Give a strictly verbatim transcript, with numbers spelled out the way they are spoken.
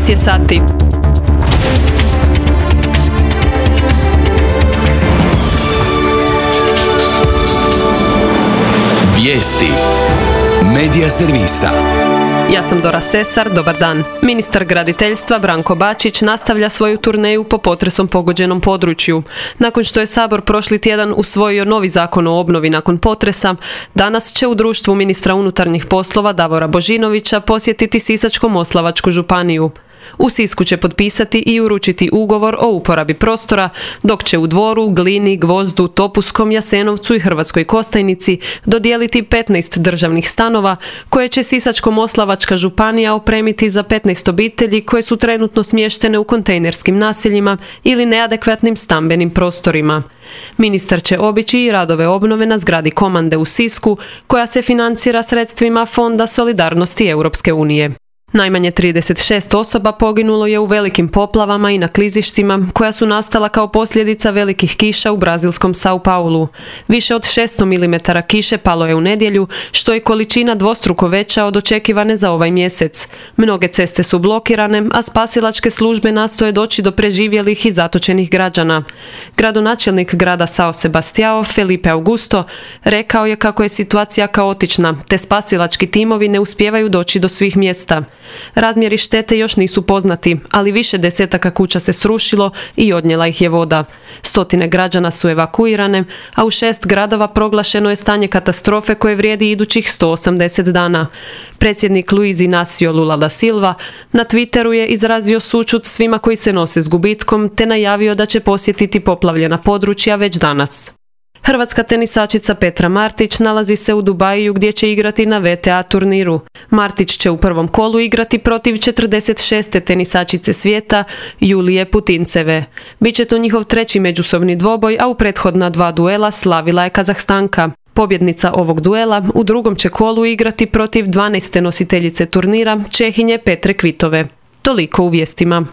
devet je sati. Vijesti Medija servisa. Ja sam Dora Sesar, dobar dan. Ministar graditeljstva Branko Bačić nastavlja svoju turneju po potresom pogođenom području. Nakon što je Sabor prošli tjedan usvojio novi zakon o obnovi nakon potresa, danas će u društvu ministra unutarnjih poslova Davora Božinovića posjetiti Sisačko-moslavačku županiju. U Sisku će potpisati i uručiti ugovor o uporabi prostora, dok će u Dvoru, Glini, Gvozdu, Topuskom, Jasenovcu i Hrvatskoj Kostajnici dodijeliti petnaest državnih stanova koje će Sisačko-moslavačka županija opremiti za petnaest obitelji koje su trenutno smještene u kontejnerskim naseljima ili neadekvatnim stambenim prostorima. Ministar će obići i radove obnove na zgradi Komande u Sisku, koja se financira sredstvima Fonda solidarnosti Europske unije. Najmanje trideset šest osoba poginulo je u velikim poplavama i na klizištima koja su nastala kao posljedica velikih kiša u brazilskom Sao Paulu. Više od šesto milimetara kiše palo je u nedjelju, što je količina dvostruko veća od očekivane za ovaj mjesec. Mnoge ceste su blokirane, a spasilačke službe nastoje doći do preživjelih i zatočenih građana. Gradonačelnik grada Sao Sebastiao, Felipe Augusto, rekao je kako je situacija kaotična, te spasilački timovi ne uspijevaju doći do svih mjesta. Razmjeri štete još nisu poznati, ali više desetaka kuća se srušilo i odnijela ih je voda. Stotine građana su evakuirane, a u šest gradova proglašeno je stanje katastrofe koje vrijedi idućih sto osamdeset dana. Predsjednik Luiz Inácio Lula da Silva na Twitteru je izrazio sućut svima koji se nose s gubitkom, te najavio da će posjetiti poplavljena područja već danas. Hrvatska tenisačica Petra Martić nalazi se u Dubaju gdje će igrati na V T A turniru. Martić će u prvom kolu igrati protiv četrdeset šeste tenisačice svijeta Julije Putinceve. Biće to njihov treći međusobni dvoboj, a u prethodna dva duela slavila je Kazahstanka. Pobjednica ovog duela u drugom će kolu igrati protiv dvanaeste nositeljice turnira, Čehinje Petre Kvitove. Toliko u vijestima.